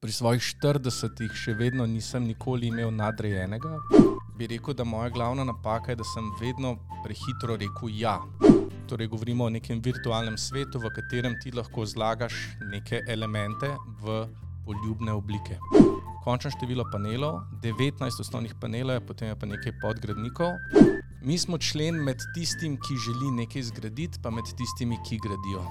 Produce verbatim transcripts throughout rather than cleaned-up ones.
Pri svojih štiridesetih še vedno nisem nikoli imel nadrejenega. Bi rekel, da moja glavna napaka je, da sem vedno prehitro rekel ja. Torej govorimo o nekem virtualnem svetu, v katerem ti lahko zlagaš neke elemente v poljubne oblike. Končno število panelov, devetnajst osnovnih panelov, potem je pa nekaj podgradnikov. Mi smo člen med tistim, ki želi nekaj zgraditi, pa med tistimi, ki gradijo.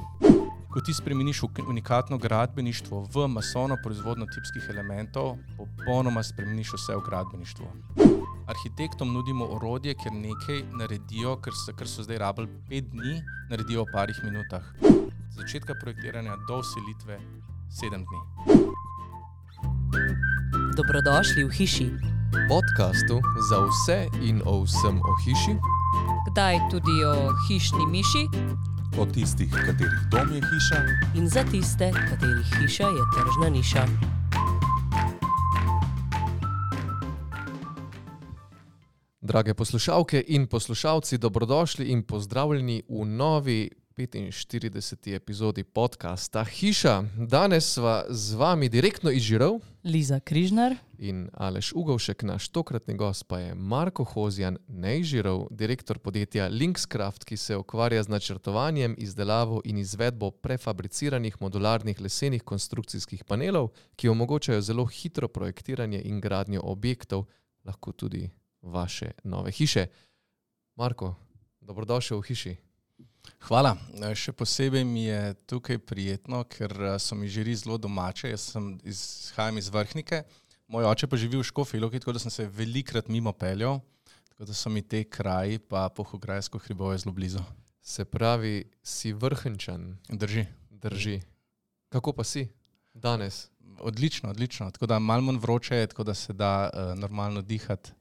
Ko ti spremeniš unikatno gradbeništvo v masovno proizvodnjo tipskih elementov, popolnoma spremeniš vse v gradbeništvu. Arhitektom nudimo orodje, ker nekaj naredijo, ker so, ker so zdaj rabili pet dni, naredijo v parih minutah. Z začetka projektiranja do vselitve sedem dni. Dobrodošli v hiši. Podcastu za vse in o vsem o hiši. Kdaj tudi o hišni miši. O tistih, katerih dom je hiša. In za tiste, katerih hiša je tržna niša. Drage poslušalke in poslušalci, dobrodošli in pozdravljeni v novi petinštirideseti epizodi podcasta Hiša. Danes sva z vami direktno iz Žirov. Liza Križnar. In Aleš Ugovšek, naš tokratni gost pa je Marko Hozjan, ne iz Žirov, direktor podjetja Linkscraft, ki se ukvarja z načrtovanjem, izdelavo in izvedbo prefabriciranih modularnih lesenih konstrukcijskih panelov, ki omogočajo zelo hitro projektiranje in gradnjo objektov, lahko tudi vaše nove hiše. Marko, dobrodošel v hiši. Hvala. Še posebej mi je tukaj prijetno, ker so mi Žiri zelo domače. Jaz sem izhajam iz Vrhnike, moj oče pa živi v Škofji Loki, tako da sem se velikrat mimo peljal, tako da so mi te kraji pa Polhograjsko hribovje zelo blizu. Se pravi, si Vrhničan. Drži. Drži. Kako pa si danes? Odlično, odlično. Tako da malo manj vroče je, tako da se da uh, normalno dihati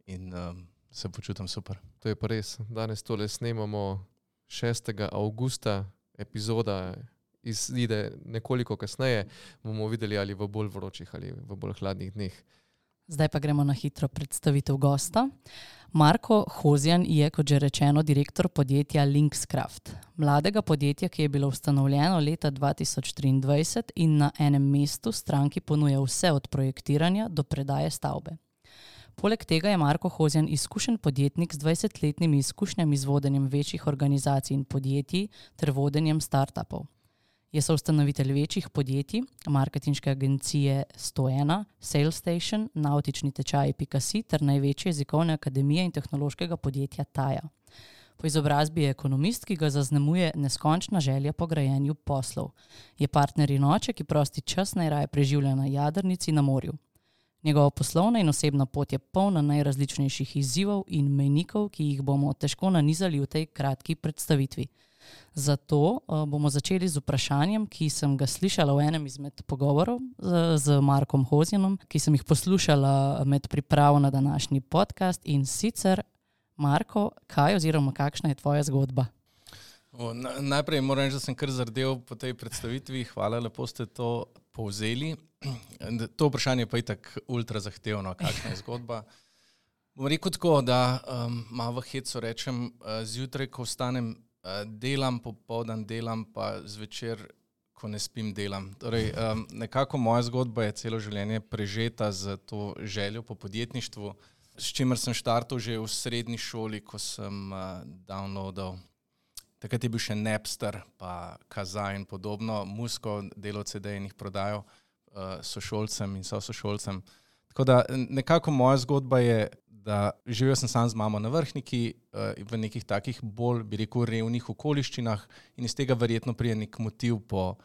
in uh, se počutim super. To je pa res. Danes tole snemamo šestega avgusta, epizoda izide nekoliko kasneje, bomo videli ali v bolj vročih ali v bolj hladnih dneh. Zdaj pa gremo na hitro predstavitev gosta. Marko Hozjan je, kot že rečeno, direktor podjetja Linkscraft. Mladega podjetja, ki je bilo ustanovljeno leta dva tisoč triindvajset in na enem mestu stranki ponuja vse od projektiranja do predaje stavbe. Poleg tega je Marko Hozjan izkušen podjetnik z dvajsetletnimi izkušnjami z vodenjem večjih organizacij in podjetij ter vodenjem startupov. Je soustanovitelj večjih podjetij, marketinške agencije sto ena, SalesStation, nautični tečaji pika si ter največje jezikovne akademije in tehnološkega podjetja Taja. Po izobrazbi je ekonomist, ki ga zaznamuje neskončna želja po grajenju poslov. Je partner in oče, ki prosti čas najraje preživlja na jadrnici na morju. Njegova poslovna in osebna pot je polna najrazličnejših izzivov in mejnikov, ki jih bomo težko nanizali v tej kratki predstavitvi. Zato uh, bomo začeli z vprašanjem, ki sem ga slišala v enem izmed pogovorov z, z Markom Hozjanom, ki sem jih poslušala med pripravo na današnji podcast. In sicer, Marko, kaj oziroma kakšna je tvoja zgodba? O, na, najprej moram reči, da sem kar zardel po tej predstavitvi. Hvala, lepo ste to povzeli. To vprašanje pa je tako ultra zahtevno, kakšna je zgodba. Bom rekel tako, da um, malo v hecu rečem, uh, zjutraj, ko vstanem, uh, delam, popoldan delam, pa zvečer, ko ne spim, delam. Torej, um, nekako moja zgodba je celo življenje prežeta z to željo po podjetništvu, s čimer sem štartal že v srednji šoli, ko sem uh, downloadal. Takrat je bil še Napster, pa Kazaa in podobno, muziko, delal ce de in jih prodajal uh, sošolcem in sošolcem. Tako da nekako moja zgodba je, da živel sem sam z mamo na Vrhniki uh, v nekih takih bolj, bi rekel, revnih okoliščinah in iz tega verjetno prije nek motiv po,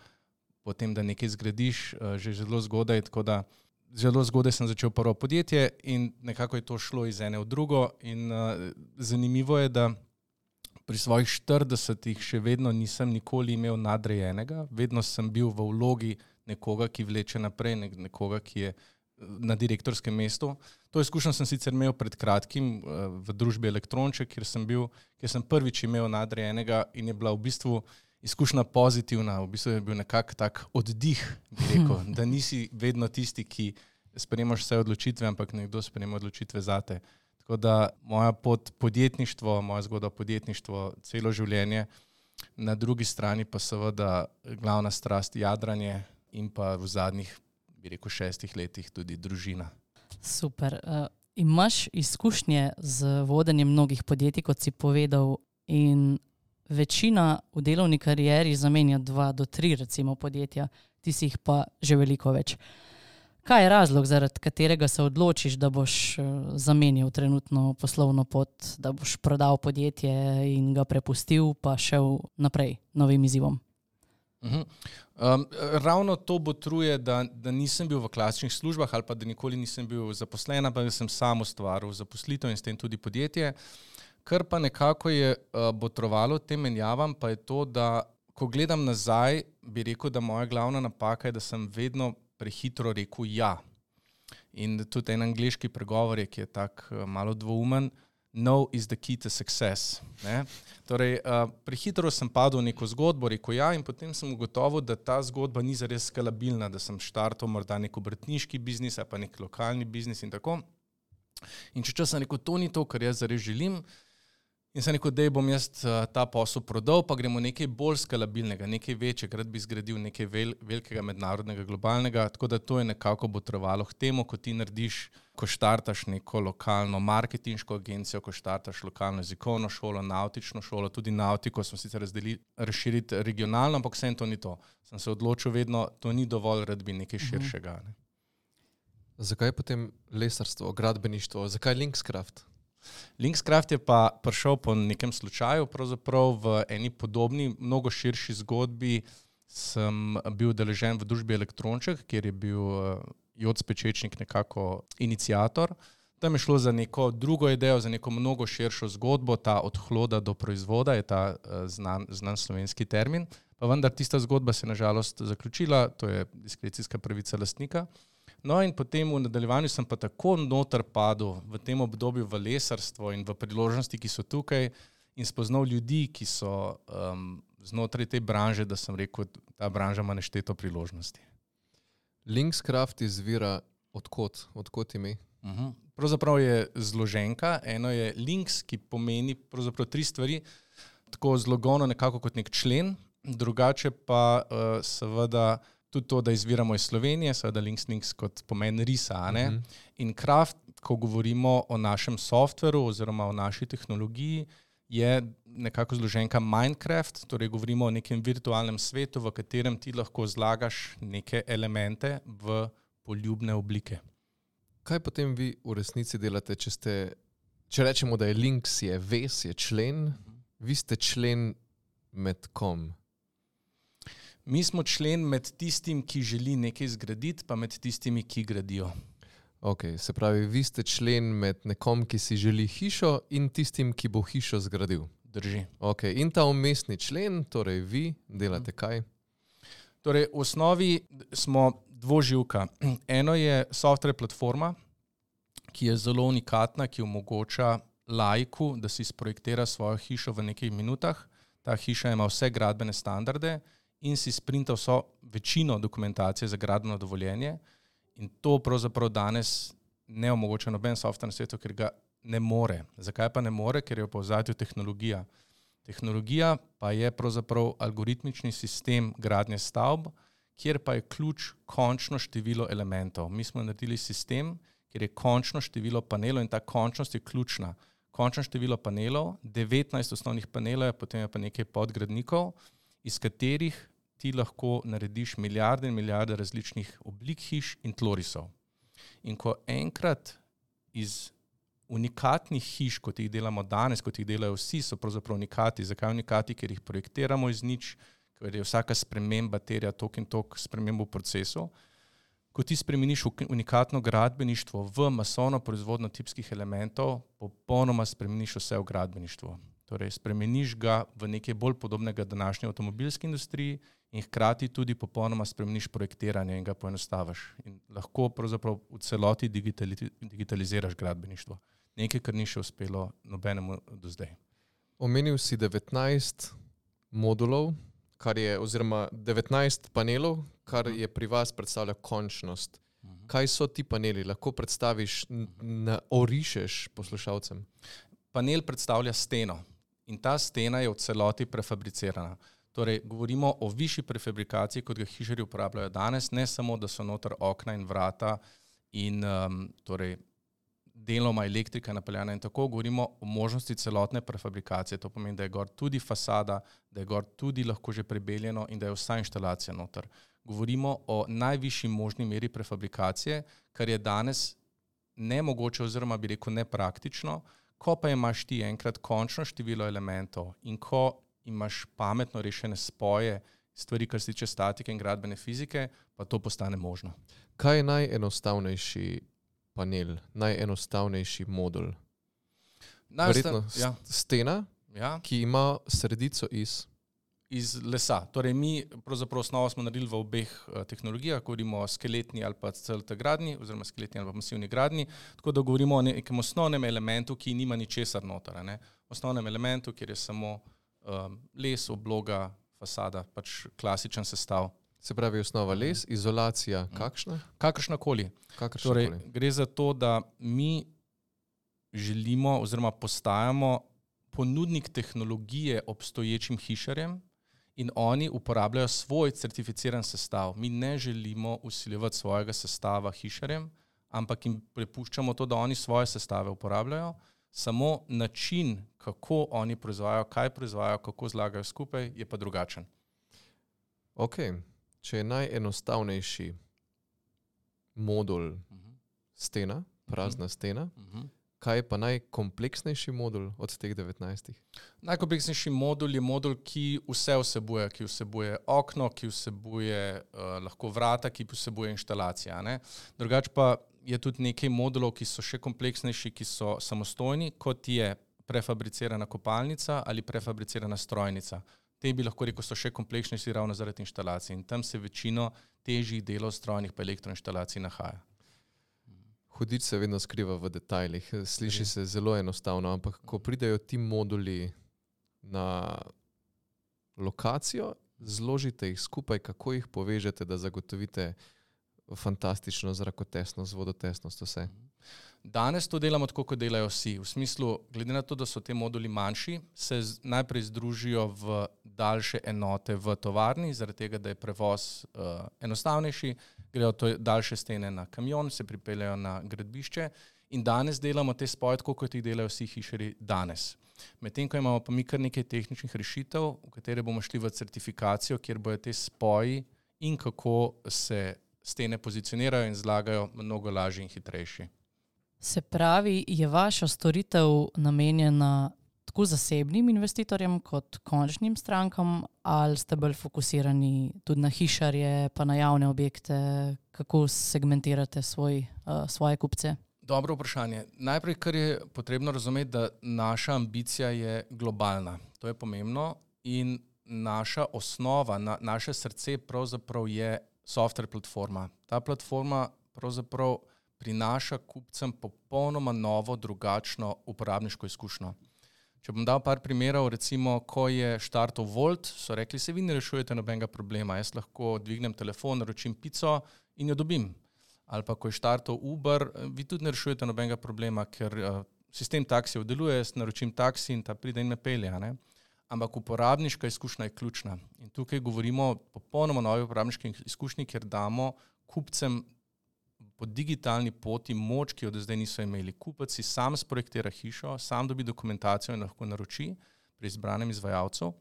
po tem, da nekaj zgradiš, uh, že zelo zgodaj. Tako da zelo zgodaj sem začel prvo podjetje in nekako je to šlo iz ene v drugo in uh, zanimivo je, da pri svojih štiridesetih še vedno nisem nikoli imel nadrejenega, vedno sem bil v vlogi nekoga, ki vleče naprej, nekoga, ki je na direktorskem mestu. To izkušnjo sem sicer imel pred kratkim v družbi Elektronček, kjer sem bil, kjer sem prvič imel nadrejenega in je bila v bistvu izkušnja pozitivna, v bistvu je bil nekak tak oddih, bi rekel, da nisi vedno tisti, ki sprejemaš vse odločitve, ampak nekdo sprejema odločitve zate. Tako da moja pot podjetništvo, moja zgodba podjetništvo celo življenje, na drugi strani pa seveda glavna strast jadranje in pa v zadnjih bi rekel, šestih letih tudi družina. Super. Uh, imaš izkušnje z vodenjem mnogih podjetij, kot si povedal, in večina v delovni karieri zamenja dva do tri recimo podjetja, ti si jih pa že veliko več. Kaj je razlog, zaradi katerega se odločiš, da boš zamenjal trenutno poslovno pot, da boš prodal podjetje in ga prepustil, pa šel naprej novim izzivom? Uh-huh. Um, ravno to botruje, da, da nisem bil v klasičnih službah ali pa da nikoli nisem bil zaposlen, pa da sem sam ustvaril zaposlitev in s tem tudi podjetje. Kar pa nekako je uh, botrovalo tem menjavam, pa je to, da ko gledam nazaj, bi rekel, da moja glavna napaka je, da sem vedno prehitro rekel ja. In tudi en angleški pregovor je, ki je tak uh, malo dvoumen, no is the key to success. Ne? Torej, uh, prehitro sem padel v neko zgodbo, rekel ja, in potem sem ugotovil, da ta zgodba ni zares skalabilna, da sem štartal morda nek obrtniški biznis, ali pa nek lokalni biznis in tako. In če sem rekel, to ni to, kar jaz zares želim, in sem rekel, da bom jaz ta posel prodal, pa gremo nekaj bolj skalabilnega, nekaj večjega, rad bi zgradil nekaj vel, velikega mednarodnega, globalnega, tako da to je nekako botrovalo k temu, ko ti narediš, ko štartaš neko lokalno marketinško agencijo, ko štartaš lokalno jezikovno šolo, nautično šolo, tudi nautiko smo sicer razdelili, razširiti regionalno, ampak vsem to ni to. Sem se odločil vedno, to ni dovolj, rad bi nekaj širšega. Ne. Zakaj potem lesarstvo, gradbeništvo, zakaj Linkscraft? Linkscraft je pa prišel po nekem slučaju, pravzaprav v eni podobni, mnogo širši zgodbi sem bil deležen v družbi Elektronček, kjer je bil Joc Pečečnik nekako iniciator. Tam je šlo za neko drugo idejo, za neko mnogo širšo zgodbo, ta od hloda do proizvoda je ta znan, znan slovenski termin, pa vendar tista zgodba se je na žalost zaključila, to je diskrecijska pravica lastnika. No in potem v nadaljevanju sem pa tako noter padel v tem obdobju v lesarstvo in v priložnosti, ki so tukaj, in spoznal ljudi, ki so um, znotraj te branže, da sem rekel, ta branža ima nešteto priložnosti. Linkscraft izvira odkot, odkot ime? Uh-huh. Pravzaprav je zloženka, eno je links, ki pomeni pravzaprav tri stvari, tako zlogovno nekako kot nek člen, drugače pa uh, seveda tudi to, da izviramo iz Slovenije, seveda links, links kot pomen risa, ne? Uh-huh. In craft, ko govorimo o našem softveru oziroma o naši tehnologiji, je nekako zloženka Minecraft, torej govorimo o nekem virtualnem svetu, v katerem ti lahko zlagaš neke elemente v poljubne oblike. Kaj potem vi v resnici delate, če ste, če rečemo, da je links, je vez, je člen, uh-huh. Vi ste člen med kom? Mi smo člen med tistim, ki želi nekaj zgraditi, pa med tistimi, ki gradijo. Ok, se pravi, vi ste člen med nekom, ki si želi hišo in tistim, ki bo hišo zgradil. Drži. Ok, in ta umestni člen, torej vi delate kaj? Torej, v osnovi smo dvoživka. Eno je software platforma, ki je zelo unikatna, ki omogoča laiku, da si sprojektira svojo hišo v nekaj minutah. Ta hiša ima vse gradbene standarde in si sprinta vso večino dokumentacije za gradbeno dovoljenje, in to pravzaprav danes ne omogoča noben software na svetu, ker ga ne more. Zakaj pa ne more? Ker je v povzadju tehnologija. Tehnologija pa je pravzaprav algoritmični sistem gradnje stavb, kjer pa je ključ končno število elementov. Mi smo naredili sistem, kjer je končno število panelov in ta končnost je ključna. Končno število panelov, devetnajst osnovnih panelov je, potem je pa nekaj podgradnikov, iz katerih ti lahko narediš milijarde in milijarde različnih oblik hiš in tlorisov. In ko enkrat iz unikatnih hiš, kot jih delamo danes, kot jih delajo vsi, so pravzaprav unikati. Zakaj unikati? Ker jih projektiramo iz nič, ker je vsaka sprememba terja tok in tok spremembo v procesu. Ko ti spremeniš unikatno gradbeništvo v masovno proizvodno tipskih elementov, popolnoma spremeniš vse v gradbeništvu. Torej, spremeniš ga v nekaj bolj podobnega današnji avtomobilski industriji in hkrati tudi popolnoma spremeniš projektiranje in ga poenostaviš. In lahko pravzaprav v celoti digitali, digitaliziraš gradbeništvo. Nekaj, kar ni še uspelo nobenemu do zdaj. Omenil si devetnajst modulov, kar je, oziroma devetnajst panelov, kar je pri vas predstavlja končnost. Kaj so ti paneli? Lahko predstaviš, n- orišeš poslušalcem? Panel predstavlja steno in ta stena je v celoti prefabricirana. Torej, govorimo o višji prefabrikaciji, kot ga hišarji uporabljajo danes, ne samo, da so noter okna in vrata in um, torej, deloma elektrika napeljana in tako, govorimo o možnosti celotne prefabrikacije. To pomeni, da je gor tudi fasada, da je gor tudi lahko že prebeljeno in da je vsa inštalacija noter. Govorimo o najvišji možni meri prefabrikacije, kar je danes nemogoče oziroma bi rekel nepraktično, ko pa imaš ti enkrat končno število elementov in ko imaš pametno rešene spoje stvari, kar se tiče statike in gradbene fizike, pa to postane možno. Kaj je najenostavnejši panel, najenostavnejši modul? Verjetno ja. stena, ja. ki ima sredico iz... iz lesa. Torej mi pravzaprav osnovo smo naredili v obeh uh, tehnologijah, govorimo o skeletni ali pa celote gradni, oziroma skeletni ali pa masivni gradni, tako da govorimo o nekem osnovnem elementu, ki nima ničesar noter, ne? Osnovnem elementu, kjer je samo um, les, obloga, fasada, pač klasičen sestav. Se pravi osnova les, izolacija kakšna? Kakršnakoli. Kakršnakoli. Torej, gre za to, da mi želimo oziroma postajamo ponudnik tehnologije obstoječim hišarjem in oni uporabljajo svoj certificiran sestav. Mi ne želimo vsiljevati svojega sestava hišarjem, ampak jim prepuščamo to, da oni svoje sestave uporabljajo. Samo način, kako oni proizvajajo, kaj proizvajajo, kako zlagajo skupaj, je pa drugačen. Ok, če je najenostavnejši modul uh-huh. stena, prazna uh-huh. stena, uh-huh. kaj je pa najkompleksnejši modul od teh devetnajstih? Najkompleksnejši modul je modul, ki vse vsebuje, ki vsebuje okno, ki vsebuje uh, lahko vrata, ki vsebuje inštalacija. Ne? Drugač pa je tudi nekaj modulov, ki so še kompleksnejši, ki so samostojni, kot je prefabricirana kopalnica ali prefabricirana strojnica. Te bi lahko rekel, so še kompleksnejši ravno zaradi inštalacij in tam se večino težjih delov strojnih pa elektroinštalacij nahaja. Hudič se vedno skriva v detajlih. Sliši se zelo enostavno, ampak ko pridejo ti moduli na lokacijo, zložite jih skupaj, kako jih povežete, da zagotovite fantastično zrakotesnost, vodotesnost, vse. Danes to delamo tako, kot delajo vsi. V smislu, glede na to, da so te moduli manjši, se z, najprej združijo v daljše enote v tovarni, zaradi tega, da je prevoz uh, enostavnejši, grejo to daljše stene na kamion, se pripeljajo na gradbišče in danes delamo te spoje, tako kot jih delajo vsi hišarji danes. Medtem, ko imamo pa mi kar nekaj tehničnih rešitev, v katere bomo šli v certifikacijo, kjer bojo te spoji in kako se stene pozicionirajo in zlagajo mnogo lažji in hitrejši. Se pravi, je vaša storitev namenjena tako zasebnim investitorjem kot končnim strankam, ali ste bolj fokusirani tudi na hišarje, pa na javne objekte, kako segmentirate svoj, uh, svoje kupce? Dobro vprašanje. Najprej, kar je potrebno razumeti, da naša ambicija je globalna. To je pomembno in naša osnova, na, naše srce pravzaprav je software platforma. Ta platforma pravzaprav prinaša kupcem popolnoma novo, drugačno uporabniško izkušnjo. Če bom dal par primerov, recimo, ko je štartov Volt, so rekli, se vi ne rešujete nobenega problema, jaz lahko dvignem telefon, naročim pico in jo dobim. Ali pa, ko je štartov Uber, vi tudi ne rešujete nobenega problema, ker uh, sistem taksijev deluje, jaz naročim taksi in ta pride in me pelje, ne? Ampak uporabniška izkušnja je ključna. In tukaj govorimo o popolnoma novi uporabniški izkušnji, ker damo kupcem po digitalni poti moč, ki jo do zdaj niso imeli. Kupec si sam sprojektira hišo, sam dobi dokumentacijo in lahko naroči pri izbranem izvajalcu.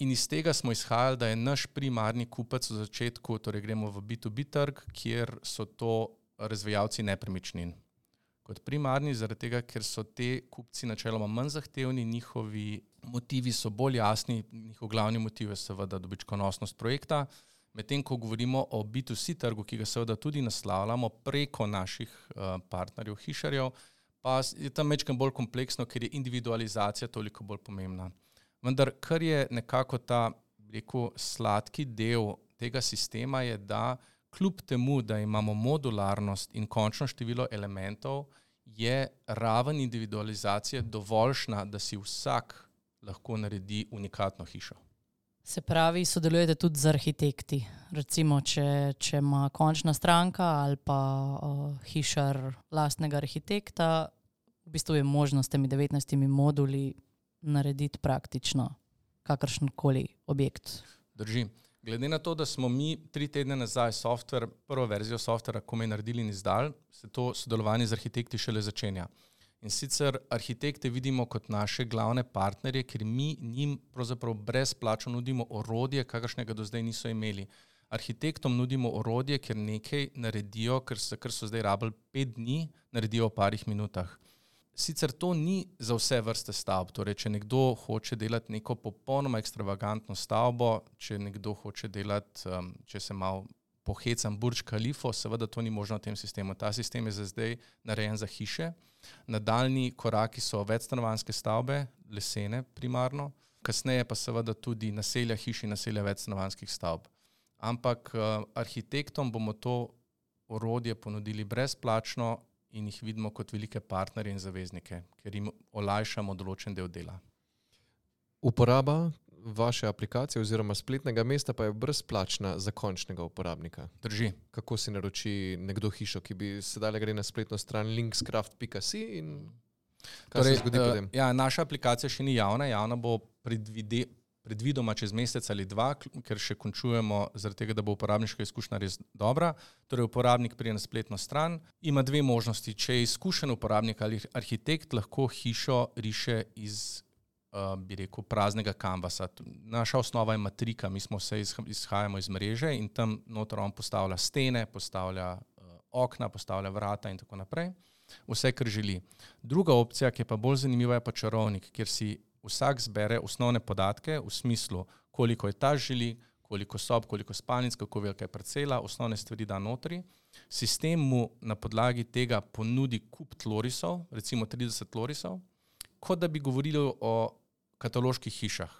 In iz tega smo izhajali, da je naš primarni kupec v začetku, torej gremo v B to B trg, kjer so to razvijalci nepremičnin. Kot primarni, zaradi tega, ker so te kupci načeloma manj zahtevni, njihovi motivi so bolj jasni, njihov glavni motiv je seveda dobičkonosnost projekta. Medtem, ko govorimo o B to C trgu, ki ga seveda tudi naslavljamo preko naših uh, partnerjev, hišarjev, pa je tam mečkam bolj kompleksno, ker je individualizacija toliko bolj pomembna. Vendar, kar je nekako ta, rekel, sladki del tega sistema je, da kljub temu, da imamo modularnost in končno število elementov, je raven individualizacije dovoljšna, da si vsak lahko naredi unikatno hišo. Se pravi, sodelujete tudi z arhitekti. Recimo, če, če ima končna stranka ali pa uh, hišar lastnega arhitekta, v bistvu je možnost s temi devetnajstimi moduli narediti praktično kakršenkoli objekt. Drži. Glede na to, da smo mi tri tedne nazaj software, prvo verzijo softvera komaj naredili in izdali, se to sodelovanje z arhitekti šele začenja. In sicer arhitekte vidimo kot naše glavne partnerje, ker mi njim pravzaprav brezplačno nudimo orodje, kakršnega do zdaj niso imeli. Arhitektom nudimo orodje, ker nekaj naredijo, ker so, ker so zdaj rabili pet dni, naredijo v parih minutah. Sicer to ni za vse vrste stavb, torej če nekdo hoče delati neko popolnoma ekstravagantno stavbo, če nekdo hoče delati, um, če se malo pohecam Burj Khalifo, seveda to ni možno v tem sistemu. Ta sistem je za zdaj narejen za hiše. Nadaljni koraki so večstanovanjske stavbe, lesene primarno, kasneje pa seveda tudi naselja hiš in naselja večstanovanjskih stavb. Ampak uh, arhitektom bomo to orodje ponudili brezplačno in jih vidimo kot velike partnerje in zaveznike, ker jim olajšamo določen del dela. Uporaba vaše aplikacije oziroma spletnega mesta pa je brezplačna za končnega uporabnika. Drži. Kako si naroči nekdo hišo, ki bi sedaj gre na spletno stran linkscraft pika si in kaj torej, se zgodi potem? Uh, ja, naša aplikacija še ni javna, javna bo predvide, predvidoma čez mesec ali dva, ker še končujemo zaradi tega, da bo uporabniška izkušnja res dobra. Torej uporabnik pride na spletno stran, ima dve možnosti. Če je izkušen uporabnik ali arhitekt, lahko hišo riše iz Uh, bi rekel, praznega kanvasa. Naša osnova je matrika, mi smo vse izhajamo iz mreže in tam noter on postavlja stene, postavlja uh, okna, postavlja vrata in tako naprej. Vse, kar želi. Druga opcija, ki je pa bolj zanimiva, je pa čarovnik, kjer si vsak zbere osnovne podatke v smislu, koliko etaž želi, koliko sob, koliko spalnic, kako velika je parcela, osnovne stvari da notri. Sistem mu na podlagi tega ponudi kup tlorisov, recimo trideset tlorisov, kot da bi govorili o kataloških hišah.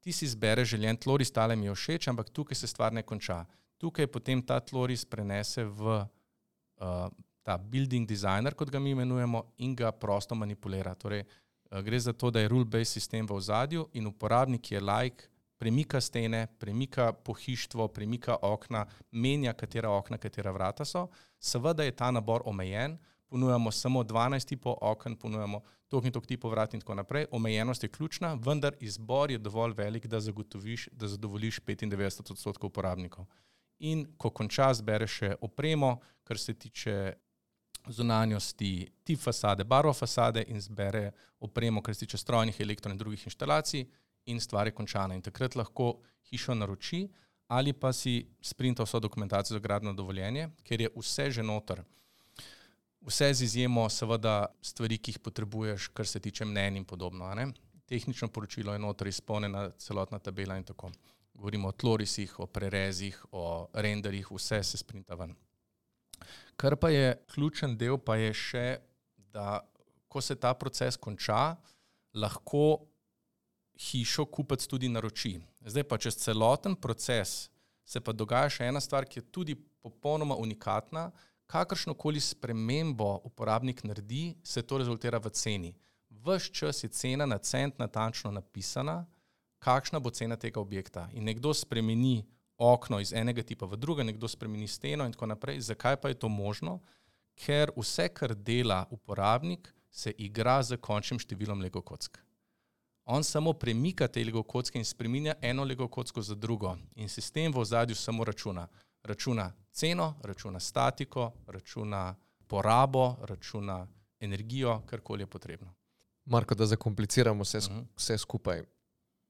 Ti si zbere željen tloris, tale mi je všeč, ampak tukaj se stvar ne konča. Tukaj potem ta tloris prenese v uh, ta building designer, kot ga mi imenujemo, in ga prosto manipulira. Torej, uh, gre za to, da je rule-based sistem v ozadju in uporabnik je like, premika stene, premika pohištvo, premika okna, menja, katera okna, katera vrata so. Seveda je ta nabor omejen, ponujamo samo dvanajst tipov oken, ponujamo toliko in toliko tipov vrat in tako naprej. Omejenost je ključna, vendar izbor je dovolj velik, da zagotoviš, da zadovoljiš petindevetdeset odstotkov uporabnikov. In ko konča, zbere še opremo, kar se tiče zunanjosti, tip fasade, barvo fasade in zbere opremo, kar se tiče strojnih, elektro in drugih inštalacij in stvar je končana. In takrat lahko hišo naroči ali pa si sprinta vso dokumentacijo za gradbeno dovoljenje, ker je vse že noter. Vse z izjemo seveda stvari, ki jih potrebuješ, kar se tiče mnenj in podobno. Ne? Tehnično poročilo je noter izpolnjena celotna tabela in tako. Govorimo o tlorisih, o prerezih, o renderih, vse se sprinta ven. Kar pa je ključen del, pa je še, da ko se ta proces konča, lahko hišo kupec tudi naroči. Zdaj pa čez celoten proces se pa dogaja še ena stvar, ki je tudi popolnoma unikatna. Kakršnokoli spremembo uporabnik naredi, se to rezultira v ceni. Ves čas je cena na cent natančno napisana, kakšna bo cena tega objekta. In nekdo spremeni okno iz enega tipa v druga, nekdo spremeni steno in tako naprej. Zakaj pa je to možno? Ker vse, kar dela uporabnik, se igra z končnim številom Lego kock. On samo premika te Lego kocke in spreminja eno Lego kocko za drugo. In sistem v ozadju samo računa. Računa ceno, računa statiko, računa porabo, računa energijo, karkoli je potrebno. Marko, da zakompliciramo vse, uh-huh. vse skupaj.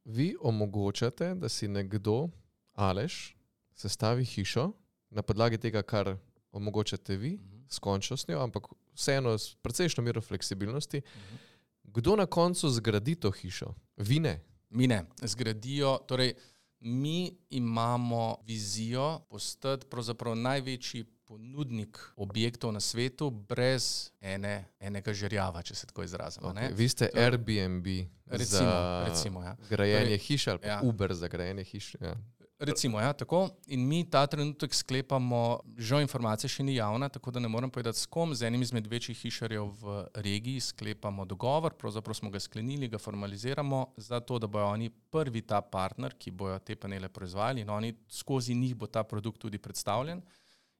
Vi omogočate, da si nekdo, Aleš, sestavi hišo na podlagi tega, kar omogočate vi, uh-huh. s končnostjo, ampak vseeno s precejšnjo mero fleksibilnosti. Uh-huh. Kdo na koncu zgradi to hišo? Vi ne? Mi ne. Zgradijo, torej mi imamo vizijo postati pravzaprav največji ponudnik objektov na svetu brez ene, enega žerjava, če se tako izrazimo. Okay. Vi ste to, Airbnb recimo, za recimo, ja. grajenje torej, hiš ali pa ja. Uber za grajenje hiš. Ja. Recimo, ja, tako. In mi ta trenutek sklepamo, žal informacija še ni javna, tako da ne morem povedati s kom, z enim izmed večjih hišarjev v regiji sklepamo dogovor, pravzaprav smo ga sklenili, ga formaliziramo, zato da bojo oni prvi ta partner, ki bojo te panele proizvajali in oni skozi njih bo ta produkt tudi predstavljen.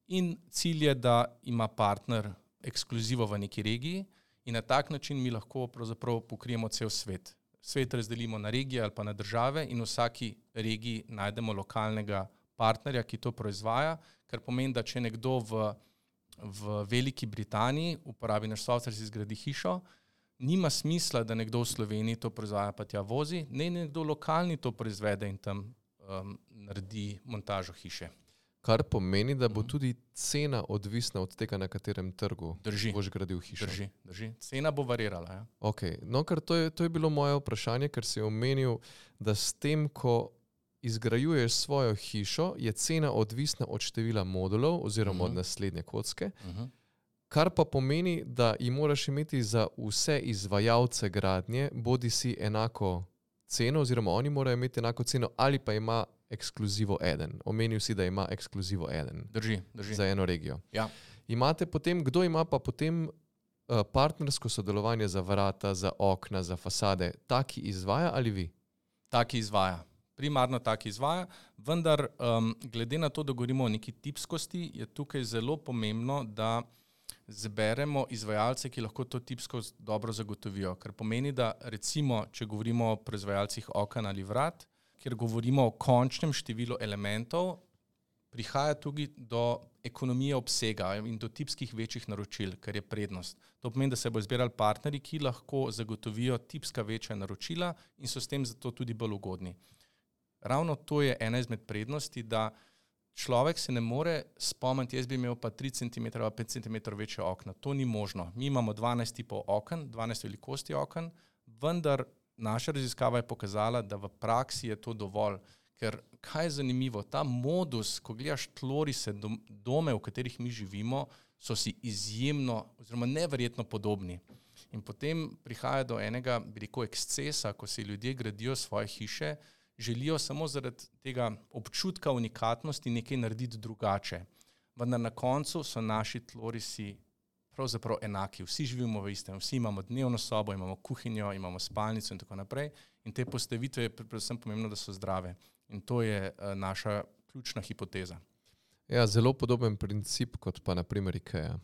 In cilj je, da ima partner ekskluzivo v neki regiji in na tak način mi lahko pravzaprav pokrijemo cel svet. svet razdelimo na regije ali pa na države in v vsaki regiji najdemo lokalnega partnerja, ki to proizvaja, kar pomeni, da če nekdo v, v Veliki Britaniji uporabi naš software, si zgradi hišo, nima smisla, da nekdo v Sloveniji to proizvaja pa tja vozi, ne nekdo lokalni to proizvede in tam um, naredi montažo hiše. Kar pomeni, da bo tudi cena odvisna od tega, na katerem trgu drži, boš gradil hišo. Drži, drži. Cena bo varirala. Ja. Okay. No, ker to je, to je bilo moje vprašanje, ker si omenil, da s tem, ko izgrajuješ svojo hišo, je cena odvisna od števila modulov oziroma uh-huh. od naslednje kocke, uh-huh. kar pa pomeni, da ji moraš imeti za vse izvajalce gradnje bodi si enako ceno oziroma oni morajo imeti enako ceno ali pa ima ekskluzivo eden. Omenil si, da ima ekskluzivo eden. Drži, drži. Za eno regijo. Ja. Imate potem, kdo ima pa potem uh, partnersko sodelovanje za vrata, za okna, za fasade? Taki izvaja ali vi? Taki izvaja. Primarno taki izvaja, vendar um, glede na to, da govorimo o neki tipskosti, je tukaj zelo pomembno, da zberemo izvajalce, ki lahko to tipskost dobro zagotovijo. Ker pomeni, da recimo, če govorimo o proizvajalcih oken ali vrat, kjer govorimo o končnem številu elementov, prihaja tudi do ekonomije obsega in do tipskih večjih naročil, kar je prednost. To pomeni, da se bo izbirali partnerji, ki lahko zagotovijo tipska večja naročila in so s tem zato tudi bolj ugodni. Ravno to je ena izmed prednosti, da človek se ne more spomniti, jaz bi imel pa tri centimetre ali pet centimetrov večje okna. To ni možno. Mi imamo dvanajst tipov oken, dvanajst velikosti oken, vendar naša raziskava je pokazala, da v praksi je to dovolj. Ker kaj je zanimivo, ta modus, ko gledaš tlorise, dome, v katerih mi živimo, so si izjemno oziroma neverjetno podobni. In potem prihaja do enega, bi rekel, ekscesa, ko si ljudje gradijo svoje hiše, želijo samo zaradi tega občutka unikatnosti nekaj narediti drugače. Vendar na koncu so naši tlorisi pravzaprav enaki. Vsi živimo v istem, vsi imamo dnevno sobo, imamo kuhinjo, imamo spalnico in tako naprej. In te postavitve je predvsem pomembno, da so zdrave. In to je uh, naša ključna hipoteza. Ja, zelo podoben princip kot pa na primer IKEA.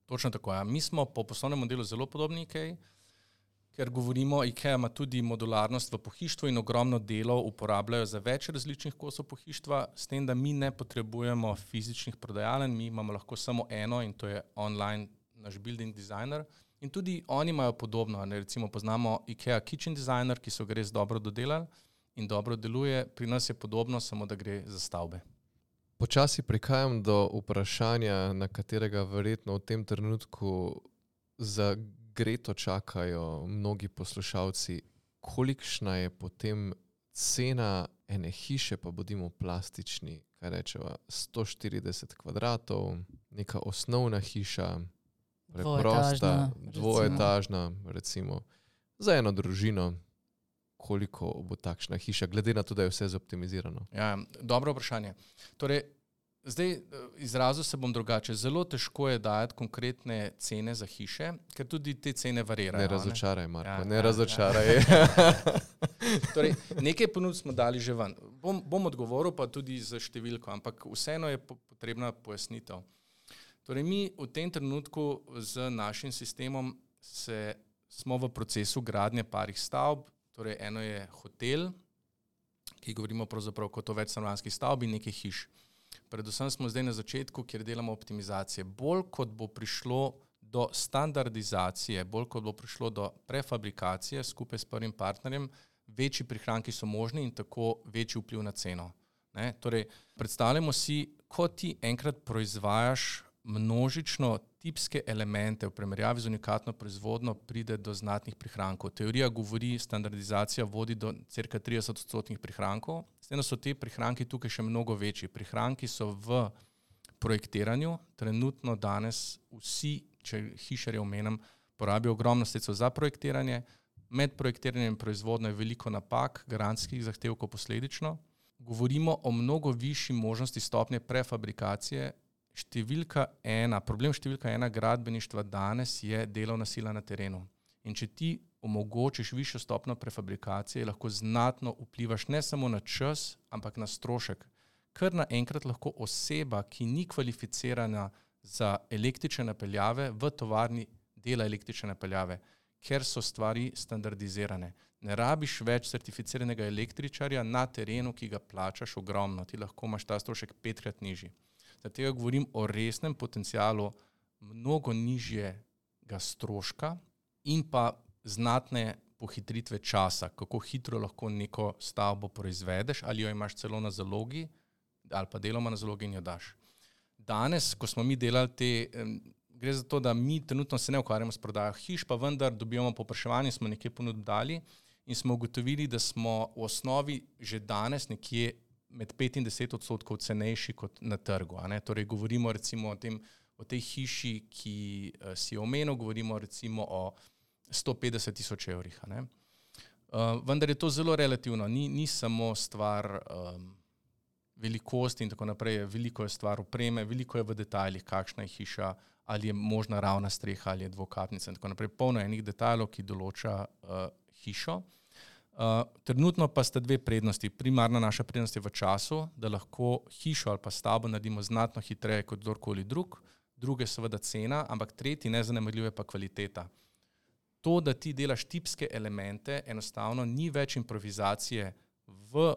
Točno tako, ja. Mi smo po poslovnem modelu zelo podobni IKEA, ker govorimo, IKEA ima tudi modularnost v pohištvu in ogromno delov uporabljajo za več različnih kosov pohištva, s tem, da mi ne potrebujemo fizičnih prodajalen, mi imamo lahko samo eno in to je online naš building designer. In tudi oni imajo podobno, ne, recimo poznamo IKEA Kitchen Designer, ki so ga res dobro dodelali in dobro deluje, pri nas je podobno, samo da gre za stavbe. Počasi prihajam do vprašanja, na katerega verjetno v tem trenutku za Greto čakajo mnogi poslušalci. Kolikšna je potem cena ene hiše, pa bodimo plastični, kaj rečeva, sto štirideset kvadratov, neka osnovna hiša, preprosta, dvoetažna, recimo, za eno družino, koliko bo takšna hiša, glede na to, da je vse zoptimizirano? Ja, dobro vprašanje. Torej, zdaj izrazil se bom drugače. Zelo težko je dajati konkretne cene za hiše, ker tudi te cene varirajo. Ne razočaraj, Marko, ja, ne ja, razočaraj. Ja. Torej, nekaj ponudb smo dali že ven. Bom, bom odgovoril pa tudi za številko, ampak vseeno je potrebna pojasnitev. Torej, mi v tem trenutku z našim sistemom se, smo v procesu gradnje parih stavb. Torej, eno je hotel, ki govorimo pravzaprav kot o večstanovanjski stavbi, nekaj hiš. Predvsem smo zdaj na začetku, kjer delamo optimizacije. Bolj kot bo prišlo do standardizacije, bolj kot bo prišlo do prefabrikacije skupaj s prvim partnerjem, večji prihranki so možni in tako večji vpliv na ceno. Ne? Torej, predstavljamo si, ko ti enkrat proizvajaš množično tipske elemente v primerjavi z unikatno proizvodno, pride do znatnih prihrankov. Teorija govori, standardizacija vodi do cirka trideset odstotnih prihrankov. S tem, da so te prihranki tukaj še mnogo večji. Prihranki so v projektiranju. Trenutno danes vsi, če hišarje omenim, porabijo ogromno sredstev za projektiranje. Med projektiranjem in proizvodno je veliko napak, garantskih zahtevkov posledično. Govorimo o mnogo višji možnosti stopnje prefabrikacije. Številka ena, problem številka ena gradbeništva danes je delovna sila na terenu. In če ti omogočiš višjo stopnjo prefabrikacije, lahko znatno vplivaš ne samo na čas, ampak na strošek. Ker naenkrat lahko oseba, ki ni kvalificirana za električne napeljave, v tovarni dela električne napeljave, ker so stvari standardizirane. Ne rabiš več certificiranega električarja na terenu, ki ga plačaš ogromno. Ti lahko imaš ta strošek petkrat nižji. Zato tega govorim o resnem potencialu mnogo nižjega stroška in pa znatne pohitritve časa, kako hitro lahko neko stavbo proizvedeš, ali jo imaš celo na zalogi, ali pa deloma na zalogi in jo daš. Danes, ko smo mi delali te, gre za to, da mi trenutno se ne ukvarjamo s prodajo hiš, pa vendar dobivamo povpraševanje, smo nekje ponudili in smo ugotovili, da smo v osnovi že danes nekje med pet in deset odstotkov cenejši kot na trgu. A ne? Torej govorimo recimo o, tem, o tej hiši, ki si jo omenil, govorimo recimo o sto petdeset tisoč evrih. A ne? Uh, vendar je to zelo relativno, ni, ni samo stvar um, velikosti in tako naprej, veliko je stvar opreme, veliko je v detajlih, kakšna je hiša, ali je možna ravna streha, ali je dvokapnica in tako naprej. Polno enih detajlov, ki določa uh, hišo. Uh, trenutno pa sta dve prednosti. Primarna naša prednost je v času, da lahko hišo ali pa stavbo naredimo znatno hitreje kot kdorkoli drug. Druge seveda cena, ampak tretji nezanemarljiv je pa kvaliteta. To, da ti delaš tipske elemente, enostavno ni več improvizacije v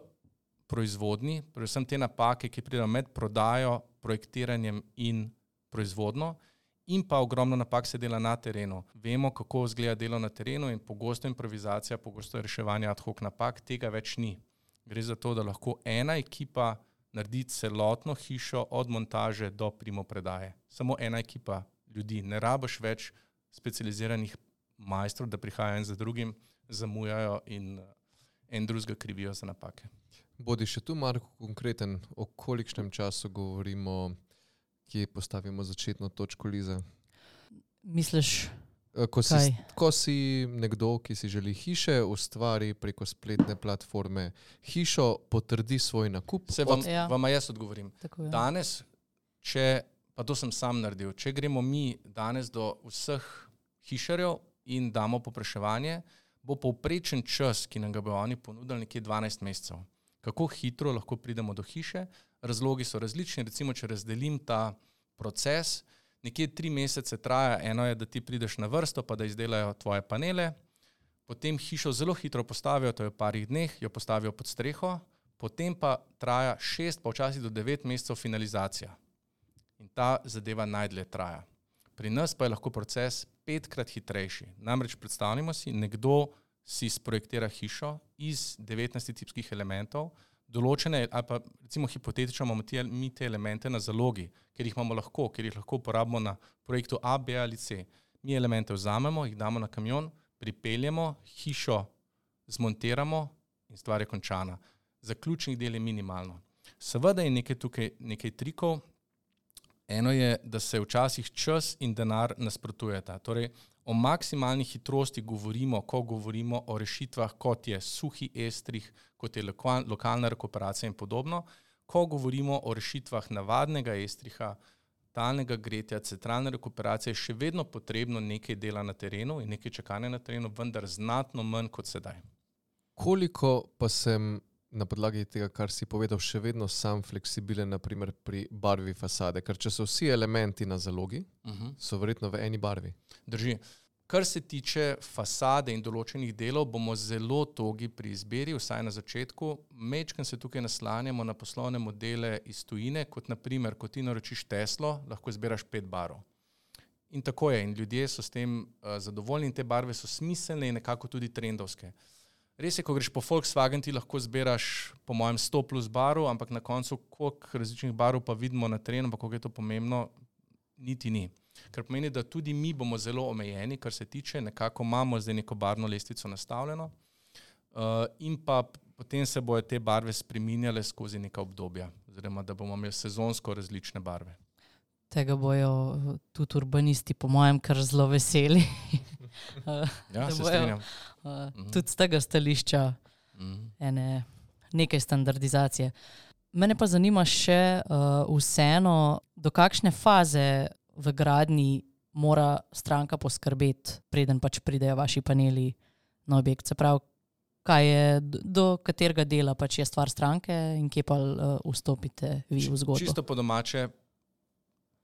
proizvodni, predvsem te napake, ki pridejo med prodajo, projektiranjem in proizvodno, in pa ogromno napak se dela na terenu. Vemo, kako izgleda delo na terenu in pogosto improvizacija, pogosto reševanje ad hoc napak, tega več ni. Gre za to, da lahko ena ekipa naredi celotno hišo od montaže do primopredaje. Samo ena ekipa ljudi. Ne rabiš več specializiranih majstrov, da prihajajo en za drugim, zamujajo in en drugega krivijo za napake. Bodi še tu, Marko, konkreten, o kolikšnem času govorimo, kje postavimo začetno točko, Liza? Misliš, ko si, kaj? Ko si nekdo, ki si želi hiše, ustvari preko spletne platforme hišo, potrdi svoj nakup. Se vam, Ja. vam jaz odgovorim. Tako je. Danes, če, pa to sem sam naredil, če gremo mi danes do vseh hišarjev in damo popraševanje, bo povprečen čas, ki nam ga bo oni ponudili, nekje dvanajst mesecev. Kako hitro lahko pridemo do hiše? Razlogi so različni. Recimo, če razdelim ta proces, nekje tri mesece traja. Eno je, da ti prideš na vrsto, pa da izdelajo tvoje panele. Potem hišo zelo hitro postavijo, to je v parih dneh, jo postavijo pod streho. Potem pa traja šest, pa včasih do devet mesecev finalizacija. In ta zadeva najdlje traja. Pri nas pa je lahko proces petkrat hitrejši. Namreč predstavljamo si, nekdo si sprojektira hišo iz devetnajstih tipskih elementov, določene, ali pa recimo hipotetično imamo te, mi te elemente na zalogi, ker jih imamo lahko, ker jih lahko uporabimo na projektu A, B ali C. Mi elemente vzamemo, jih damo na kamion, pripeljemo, hišo zmontiramo in stvar je končana. Zaključnih del je minimalno. Seveda je nekaj tukaj nekaj trikov. Eno je, da se včasih čas in denar nasprotujeta. Torej, o maksimalni hitrosti govorimo, ko govorimo o rešitvah, kot je suhi estrih, kot je lokal, lokalna rekuperacija in podobno. Ko govorimo o rešitvah navadnega estriha, talnega gretja, centralne rekuperacije, še vedno potrebno nekaj dela na terenu in nekaj čakanja na terenu, vendar znatno manj kot sedaj. Koliko pa sem na podlagi tega, kar si povedal, še vedno sam fleksibilen, naprimer pri barvi fasade, ker če so vsi elementi na zalogi, uh-huh. so verjetno v eni barvi. Drži. Kar se tiče fasade in določenih delov, bomo zelo togi pri izbiri, vsaj na začetku. Mečkam se tukaj naslanjamo na poslovne modele iz tujine, kot naprimer, ko ti naročiš Teslo, lahko izbiraš pet barv. In tako je, in ljudje so s tem uh, zadovoljni in te barve so smiselne in nekako tudi trendovske. Res je, ko greš po Volkswagen, ti lahko zbiraš po mojem sto plus barv, ampak na koncu, koliko različnih barv pa vidimo na terenu, pa koliko je to pomembno, niti ni. Ker pomeni, da tudi mi bomo zelo omejeni, kar se tiče, nekako imamo zdaj neko barvno lestvico nastavljeno uh, in pa potem se bojo te barve spreminjale skozi neka obdobja, oziroma da bomo imeli sezonsko različne barve. Tega bojo tudi urbanisti, po mojem, kar zelo veseli. Ja, se bojo, strinjam. Uh, mm-hmm. Tudi z tega stališča mm-hmm. ene, nekaj standardizacije. Mene pa zanima še uh, vseeno, do kakšne faze v gradnji mora stranka poskrbeti, preden pač pridejo vaši paneli na objekt. Se pravi, kaj je, do katerega dela pač je stvar stranke in kje pa uh, vstopite vi v zgodbo? Čisto po domače,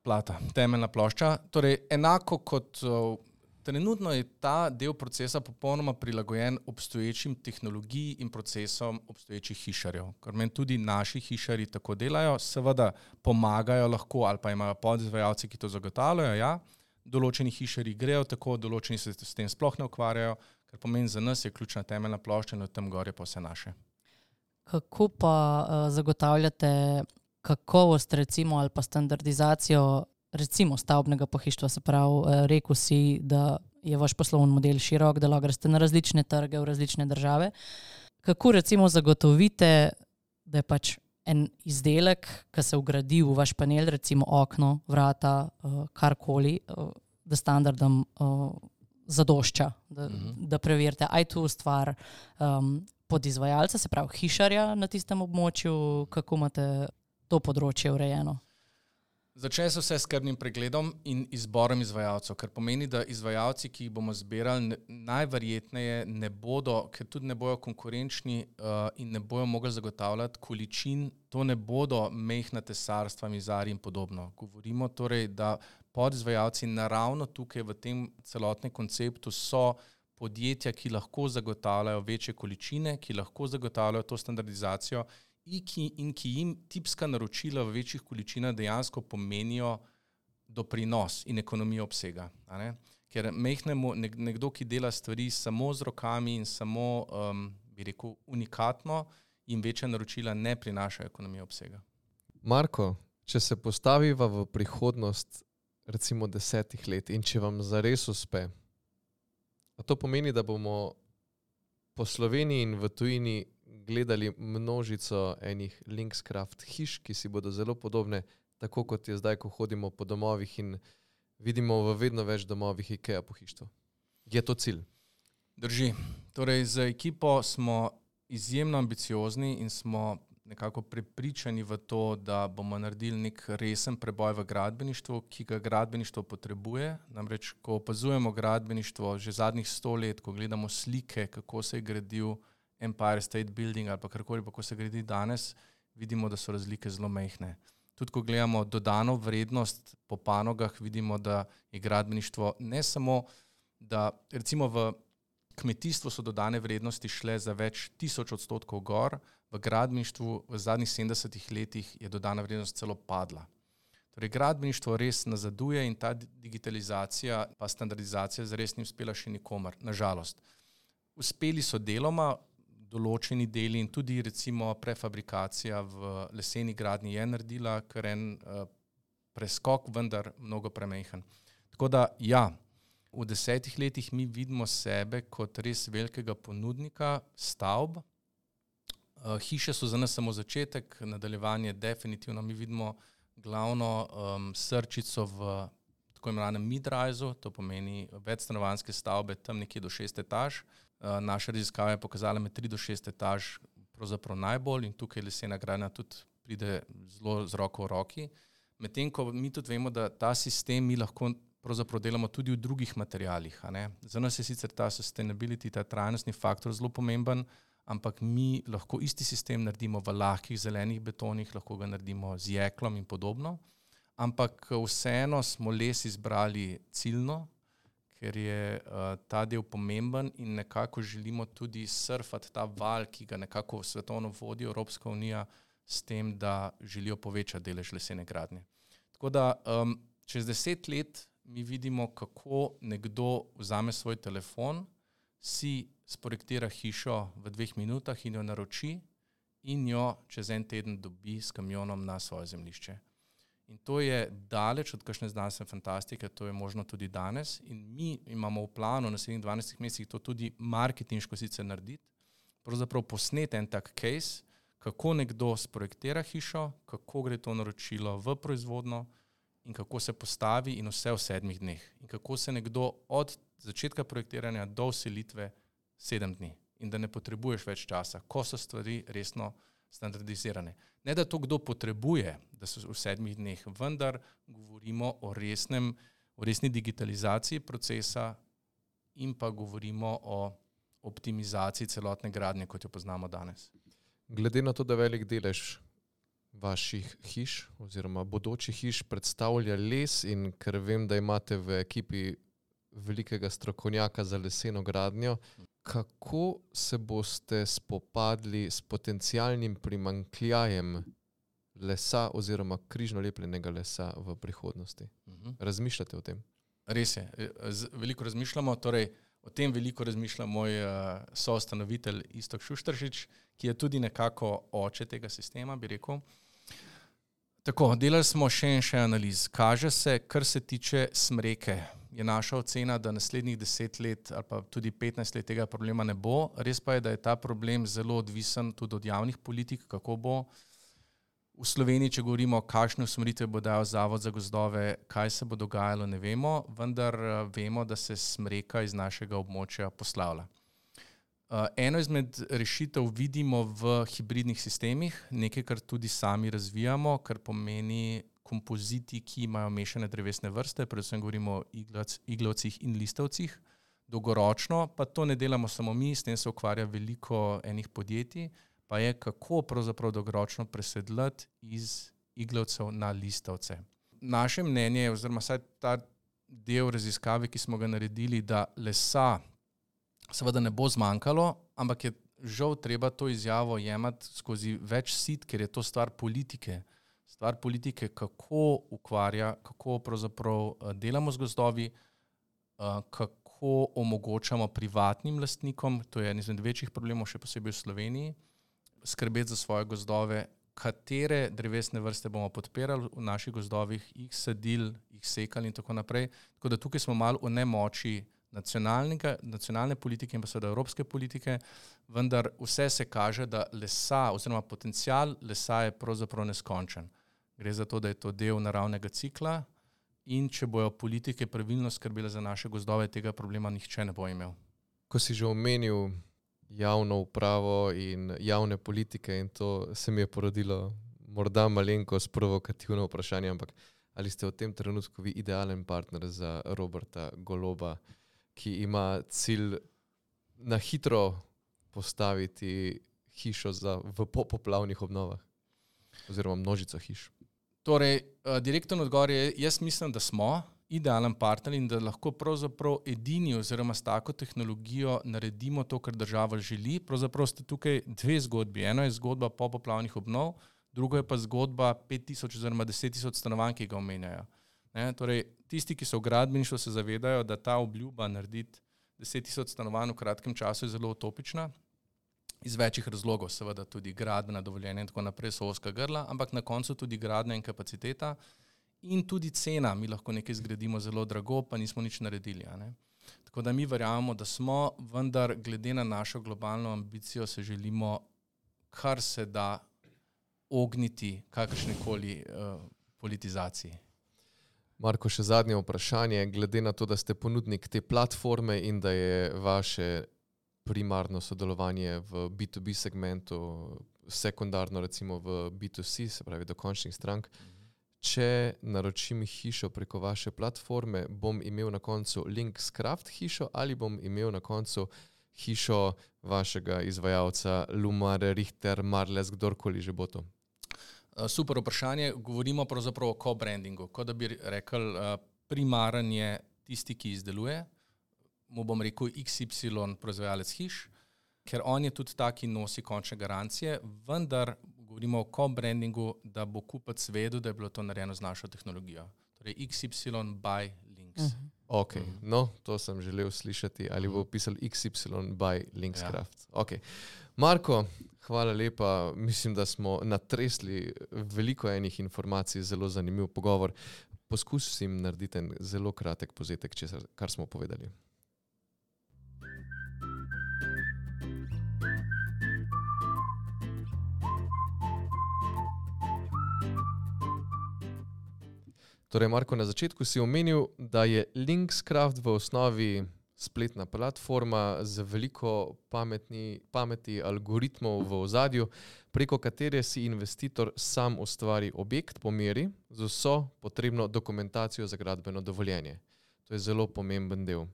plata, temeljna plošča. Torej, enako kot uh, trenutno je ta del procesa popolnoma prilagojen obstoječim tehnologiji in procesom obstoječih hišarjev. Ker meni tudi naši hišarji tako delajo, seveda pomagajo lahko ali pa imajo podizvajalci, ki to zagotavljajo, ja. Določeni hišarji grejo tako, določeni se s tem sploh ne ukvarjajo, ker pomeni za nas je ključna temeljna plošča in od tam gor je pa vse naše. Kako pa uh, zagotavljate kakovost recimo ali pa standardizacijo recimo stavbnega pohištva, se pravi, uh, rekel si, da je vaš poslovni model širok, da lahko greste na različne trge v različne države. Kako recimo zagotovite, da je pač en izdelek, ki se vgradi v vaš panel, recimo okno, vrata, uh, karkoli, uh, da standardom uh, zadošča, da, mm-hmm. da preverite, aj tu stvar um, podizvajalca, se pravi hišarja na tistem območju, kako imate to področje urejeno? Začne se vse s skrbnim pregledom in izborom izvajalcev, kar pomeni, da izvajalci, ki jih bomo zbirali, ne, najverjetneje ne bodo, ker tudi ne bojo konkurenčni uh, in ne bojo mogli zagotavljati količin, to ne bodo mehna tesarstva, mizari in podobno. Govorimo torej, da podizvajalci naravno tukaj v tem celotnem konceptu so podjetja, ki lahko zagotavljajo večje količine, ki lahko zagotavljajo to standardizacijo in ki, in ki jim tipska naročila v večjih količinah dejansko pomenijo doprinos in ekonomijo obsega. A ne? Ker mehnemo, nekdo, ki dela stvari samo z rokami in samo, um, bi rekel, unikatno, jim večja naročila ne prinašajo ekonomijo obsega. Marko, če se postaviva v prihodnost recimo desetih let in če vam zares uspe, a to pomeni, da bomo po Sloveniji in v tujini gledali množico enih Linkscraft hiš, ki si bodo zelo podobne, tako kot je zdaj, ko hodimo po domovih in vidimo v vedno več domovih IKEA pohištvo. Je to cilj? Drži. Torej, z ekipo smo izjemno ambiciozni in smo nekako prepričani v to, da bomo naredili nek resen preboj v gradbeništvu, ki ga gradbeništvo potrebuje. Namreč, ko opazujemo gradbeništvo že zadnjih sto let, ko gledamo slike, kako se je gradil Empire State Building ali pa karkoli, pa ko se gradi danes, vidimo, da so razlike zelo majhne. Tudi ko gledamo dodano vrednost po panogah, vidimo, da je gradbeništvo ne samo, da recimo v kmetijstvu so dodane vrednosti šle za več tisoč odstotkov gor, v gradbeništvu v zadnjih sedemdesetih letih je dodana vrednost celo padla. Torej, gradbeništvo res nazaduje in ta digitalizacija pa standardizacija zares ni uspela še nikomer, nažalost. Uspeli so deloma, določeni deli in tudi recimo prefabrikacija v leseni gradnji je naredila kar en uh, preskok, vendar mnogo premehen. Tako da ja, v desetih letih mi vidimo sebe kot res velikega ponudnika stavb. Uh, hiše so za nas samo začetek, nadaljevanje definitivno mi vidimo glavno um, srčico v tako imenovanem mid-risu, to pomeni večstanovanjske stavbe tam nekje do šest etaž. Uh, naša raziskava je pokazala med tri do šest etaž pravzaprav najbolj in tukaj lesena gradnja tudi pride zelo z roko v roki. Medtem ko mi tudi vemo, da ta sistem mi lahko pravzaprav delamo tudi v drugih materialih. A ne? Za nas je sicer ta sustainability, ta trajnostni faktor zelo pomemben, ampak mi lahko isti sistem naredimo v lahkih zelenih betonih, lahko ga naredimo z jeklom in podobno, ampak vseeno smo les izbrali ciljno, ker je uh, ta del pomemben in nekako želimo tudi surfati ta val, ki ga nekako svetovno vodi Evropska unija s tem, da želijo povečati delež lesene gradnje. Tako da um, čez deset let mi vidimo, kako nekdo vzame svoj telefon, si sprojektira hišo v dveh minutah in jo naroči in jo čez en teden dobi s kamionom na svoje zemljišče. In to je daleč od kakšne znanstvene fantastike, to je možno tudi danes in mi imamo v planu v naslednjih dvanajstih mesecih to tudi marketinško sicer narediti, pravzaprav posneti en tak case, kako nekdo sprojektira hišo, kako gre to naročilo v proizvodno in kako se postavi in vse v sedmih dneh. In kako se nekdo od začetka projektiranja do vselitve sedem dni in da ne potrebuješ več časa, ko so stvari resno standardizirane. Ne, da to kdo potrebuje, da so v sedmih dneh, vendar govorimo o resnem, o resni digitalizaciji procesa in pa govorimo o optimizaciji celotne gradnje, kot jo poznamo danes. Glede na to, da velik delež vaših hiš oziroma bodočih hiš predstavlja les in ker vem, da imate v ekipi velikega strokovnjaka za leseno gradnjo. Kako se boste spopadli s potencialnim primanjkljajem lesa oziroma križno lepljenega lesa v prihodnosti? Mhm. Razmišljate o tem? Res je, Z, veliko razmišljamo, torej o tem veliko razmišlja moj uh, soustanovitelj Iztok Šušteršič, ki je tudi nekako oče tega sistema, bi rekel. Tako, delali smo še in še analiz. Kaže se, kar se tiče smreke, je naša ocena, da naslednjih deset let ali pa tudi petnajst let tega problema ne bo. Res pa je, da je ta problem zelo odvisen tudi od javnih politik, kako bo. V Sloveniji, če govorimo, kakšne usmeritve bo dal Zavod za gozdove, kaj se bo dogajalo, ne vemo, vendar vemo, da se smreka iz našega območja poslavlja. Eno izmed rešitev vidimo v hibridnih sistemih, nekaj, kar tudi sami razvijamo, kar pomeni kompoziti, ki imajo mešane drevesne vrste, predvsem govorimo o iglac, iglavcih in listavcih. Dolgoročno pa to ne delamo samo mi, s tem se ukvarja veliko enih podjetij, pa je kako pravzaprav dolgoročno presedlati iz iglavcev na listavce. Naše mnenje je, oziroma saj ta del raziskave, ki smo ga naredili, da lesa seveda ne bo zmanjkalo, ampak je žal treba to izjavo jemati skozi več sit, ker je to stvar politike. Stvar politike, kako ukvarja, kako pravzaprav delamo z gozdovi, kako omogočamo privatnim lastnikom, to je en izmed večjih problemov, še posebej v Sloveniji, skrbeti za svoje gozdove, katere drevesne vrste bomo podpirali v naših gozdovih, jih sadili, jih sekali in tako naprej. Tako da tukaj smo malo v nemoči nacionalne politike in pa seveda evropske politike, vendar vse se kaže, da lesa oziroma potencial lesa je pravzaprav neskončen. Gre za to, da je to del naravnega cikla in če bojo politike pravilno skrbele za naše gozdove, tega problema nihče ne bo imel. Ko si že omenil javno upravo in javne politike in to se mi je porodilo morda malenkost provokativno vprašanje, ampak ali ste v tem trenutku vi idealen partner za Roberta Goloba, ki ima cilj na hitro postaviti hišo za, v popoplavnih obnovah oziroma množico hiš? Torej, direktno odgovor je, jaz mislim, da smo idealen partner in da lahko pravzaprav edini oziroma s tako tehnologijo naredimo to, kar država želi. Pravzaprav ste tukaj dve zgodbi. Eno je zgodba popoplavnih obnov, drugo je pa zgodba pet tisoč oziroma deset tisoč stanovanj, ki ga omenjajo. Ne, torej, tisti, ki so v gradbeništvu, se zavedajo, da ta obljuba narediti deset tisoč stanovanj v kratkem času je zelo utopična. Iz večjih razlogov, seveda tudi gradbena dovoljenja in tako naprej so ozka grla, ampak na koncu tudi gradnja in kapaciteta in tudi cena. Mi lahko nekaj zgradimo zelo drago, pa nismo nič naredili. A ne? Tako da mi verjamemo, da smo, vendar glede na našo globalno ambicijo se želimo kar se da ogniti kakršnekoli uh, politizaciji. Marko, še zadnje vprašanje. Glede na to, da ste ponudnik te platforme in da je vaše primarno sodelovanje v B to B segmentu, sekundarno recimo v B to C, se pravi do končnih strank, če naročim hišo preko vaše platforme, bom imel na koncu Linkscraft hišo ali bom imel na koncu hišo vašega izvajalca Lumar, Richter, Marles, kdorkoli že bo to? Super vprašanje. Govorimo pravzaprav o co-brandingu. Kot da bi rekel, primaren je tisti, ki izdeluje, mu bom rekel X Y proizvajalec hiš, ker on je tudi ta, ki nosi končne garancije, vendar govorimo o co-brandingu, da bo kupec vedel, da je bilo to narejeno z našo tehnologijo. Torej X Y by Links. Uh-huh. Ok, uh-huh. No, to sem želel slišati, ali bo pisal X Y by Linkscraft. Ja. Ok. Marko, hvala lepa. Mislim, da smo natresli veliko enih informacij, zelo zanimiv pogovor. Poskusim narediti en zelo kratek povzetek, česar, kar smo povedali. Torej, Marko, na začetku si omenil, da je Linkscraft v osnovi spletna platforma z veliko pametni, pameti algoritmov v ozadju, preko katere si investitor sam ustvari objekt po meri z vso potrebno dokumentacijo za gradbeno dovoljenje. To je zelo pomemben del.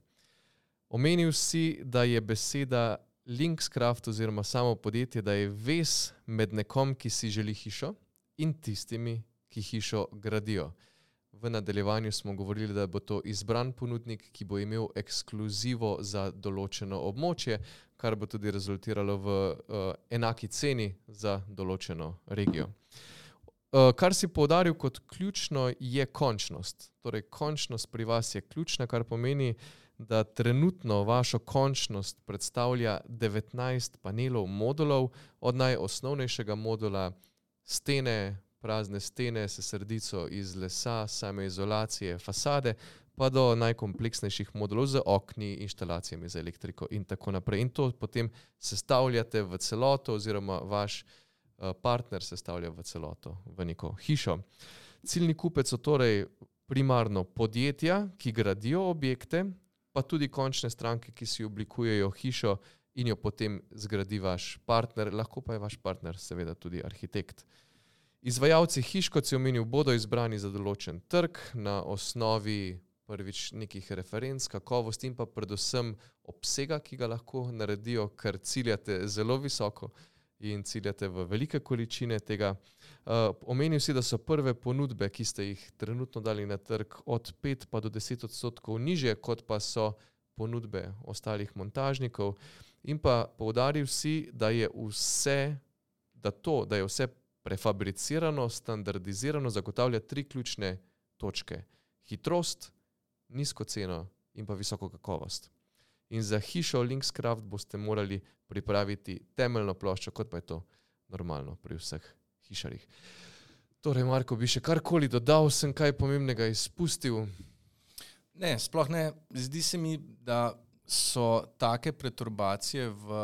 Omenil si, da je beseda Linkscraft oziroma samo podjetje, da je vez med nekom, ki si želi hišo in tistimi, ki hišo gradijo. V nadaljevanju smo govorili, da bo to izbran ponudnik, ki bo imel ekskluzivo za določeno območje, kar bo tudi rezultiralo v uh, enaki ceni za določeno regijo. Uh, kar si poudaril kot ključno je končnost. Torej, končnost pri vas je ključna, kar pomeni, da trenutno vašo končnost predstavlja devetnajst panelov modulov, od najosnovnejšega modula stene, prazne stene s sredico iz lesa, same izolacije, fasade, pa do najkompleksnejših modulov z okni, inštalacijami za elektriko in tako naprej. In to potem sestavljate v celoto oziroma vaš uh, partner sestavlja v celoto, v neko hišo. Ciljni kupec so torej primarno podjetja, ki gradijo objekte, pa tudi končne stranke, ki si oblikujejo hišo in jo potem zgradi vaš partner, lahko pa je vaš partner seveda tudi arhitekt. Izvajalci hiš, kot si omenil, bodo izbrani za določen trg na osnovi prvič nekih referenc, kakovosti in pa predvsem obsega, ki ga lahko naredijo, ker ciljate zelo visoko in ciljate v velike količine tega. Uh, omenil si, da so prve ponudbe, ki ste jih trenutno dali na trg, od pet pa do deset odstotkov nižje, kot pa so ponudbe ostalih montažnikov. In pa poudaril si, da je vse, da to, da je vse prefabricirano, standardizirano, zagotavlja tri ključne točke. Hitrost, nizko ceno in pa visoko kakovost. In za hišo Linkscraft boste morali pripraviti temeljno ploščo, kot pa je to normalno pri vseh hišarjih. Torej, Marko, bi še karkoli dodal, sem kaj pomembnega izpustil? Ne, sploh ne. Zdi se mi, da so take preturbacije v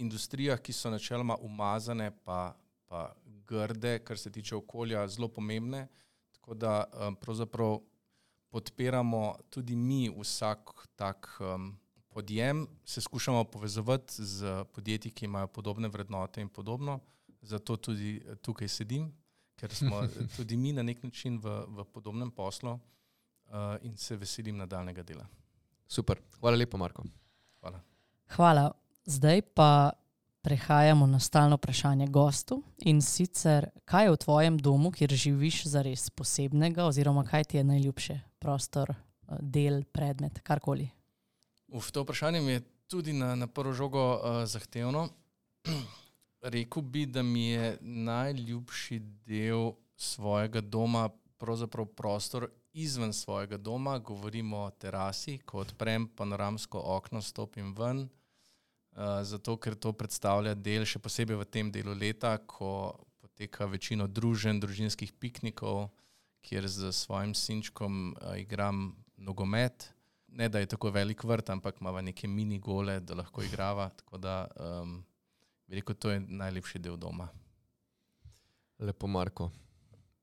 industrijah, ki so načeloma umazane pa, pa grde, kar se tiče okolja, zelo pomembne. Tako da um, pravzaprav podpiramo tudi mi vsak tak um, podjem, se skušamo povezovati z podjetji, ki imajo podobne vrednote in podobno. Zato tudi tukaj sedim, ker smo tudi mi na nek način v, v podobnem poslu uh, in se veselim nadaljnega dela. Super. Hvala lepo, Marko. Hvala. Hvala. Zdaj pa prehajamo na stalno vprašanje gostu in sicer, kaj je v tvojem domu, kjer živiš, zares posebnega oziroma kaj ti je najljubše? Prostor, del, predmet, karkoli. Uf, to vprašanje mi je tudi na, na prvo žogo uh, zahtevno. Rekel bi, da mi je najljubši del svojega doma pravzaprav prostor izven svojega doma. Govorimo o terasi, ko odprem panoramsko okno, stopim ven, uh, zato ker to predstavlja del, še posebej v tem delu leta, ko poteka večino druženj, družinskih piknikov, kjer z svojim sinčkom uh, igram nogomet. Ne, da je tako velik vrt, ampak imava neke mini gole, da lahko igrava, tako da um, bi rekel, to je najlepši del doma. Lepo, Marko.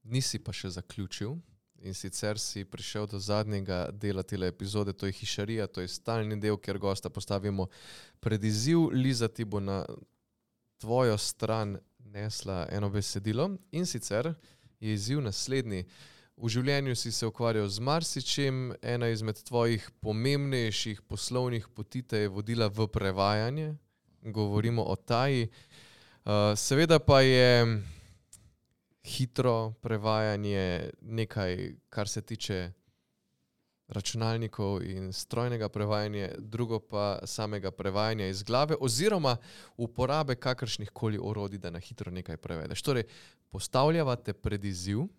Nisi pa še zaključil in sicer si prišel do zadnjega dela tele epizode, to je hišarija, to je stalni del, kjer gosta postavimo pred izziv. Liza ti bo na tvojo stran nesla eno besedilo in sicer je izziv naslednji. V življenju si se ukvarjal z marsičem, ena izmed tvojih pomembnejših poslovnih poti te je vodila v prevajanje, govorimo o taji. Uh, seveda pa je hitro prevajanje nekaj, kar se tiče računalnikov in strojnega prevajanja, drugo pa samega prevajanja iz glave oziroma uporabe kakršnih koli orodij, da na hitro nekaj prevedeš. Torej, postavljava te pred izziv.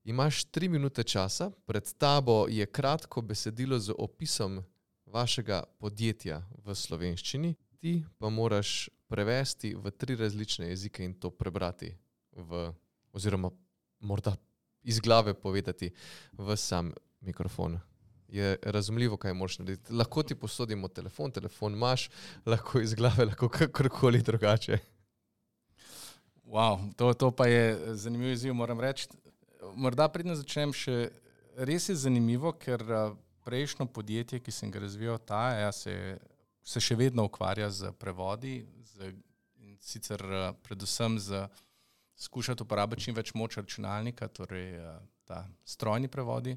Imaš tri minute časa, pred tabo je kratko besedilo z opisom vašega podjetja v slovenščini, ti pa moraš prevesti v tri različne jezike in to prebrati v, oziroma morda iz glave povedati v sam mikrofon. Je razumljivo, kaj moraš narediti. Lahko ti posodimo telefon, telefon imaš, lahko iz glave, lahko kakorkoli drugače. Wow, to, to pa je zanimiv izziv, moram reči. Morda predno začnem še, res je zanimivo, ker prejšnjo podjetje, ki sem ga razvijal, ta ja, se, se še vedno ukvarja z prevodi, z, in sicer predvsem z skušati uporabiti čim več moč računalnika, torej ta strojni prevodi.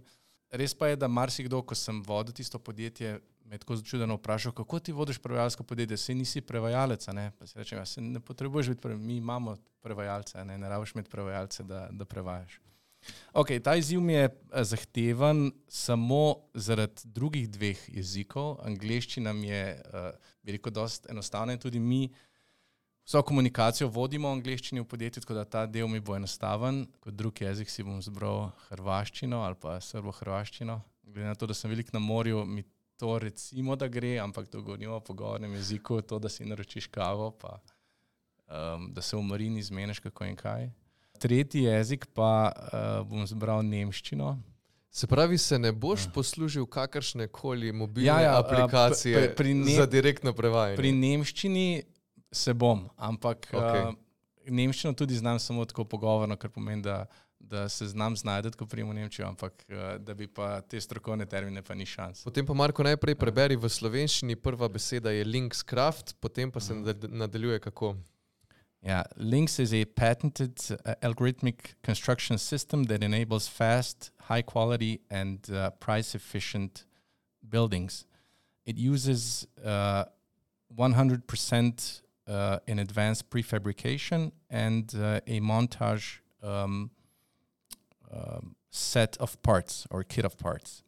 Res pa je, da marsikdo, ko sem vodil tisto podjetje, me tako začudeno vprašal, kako ti vodiš prevajalsko podjetje, saj nisi prevajalec, ne? Pa si rečem, ja, se ne potrebuješ biti prevajalec, mi imamo prevajalce, ne, ne rabiš imeti prevajalce, da, da prevajaš. Okay, ta izziv mi je zahteven samo zaradi drugih dveh jezikov. Angleščina mi je, bi rekel, dosti enostavna in tudi mi vso komunikacijo vodimo v angleščini v podjetju, tako da ta del mi bo enostaven. Kot drug jezik si bom zbral hrvaščino ali pa srbo-hrvaščino. Glede na to, da sem velik na morju, mi to recimo, da gre, ampak to govorimo o pogovornem jeziku, to, da si naročiš kavo, pa um, da se v marini zmeniš kako in kaj. Tretji jezik pa uh, bom zbral nemščino. Se pravi, se ne boš poslužil kakršne koli mobilne Ja, ja, aplikacije pri- pri ne- za direktno prevajanje? Pri nemščini se bom, ampak Okej. uh, nemščino tudi znam samo tako pogovorno, kar pomeni, da, da se znam znajdeti, ko prijem v Nemčijo, ampak uh, da bi pa te strokovne termine pa ni šans. Potem pa Marko najprej preberi v slovenščini, prva beseda je Linkscraft, potem pa se nad- nadaljuje kako? Yeah, Links is a patented uh, algorithmic construction system that enables fast, high quality and uh, price efficient buildings. It uses uh, one hundred percent uh, in advanced prefabrication and uh, a montage um, um, set of parts or kit of parts.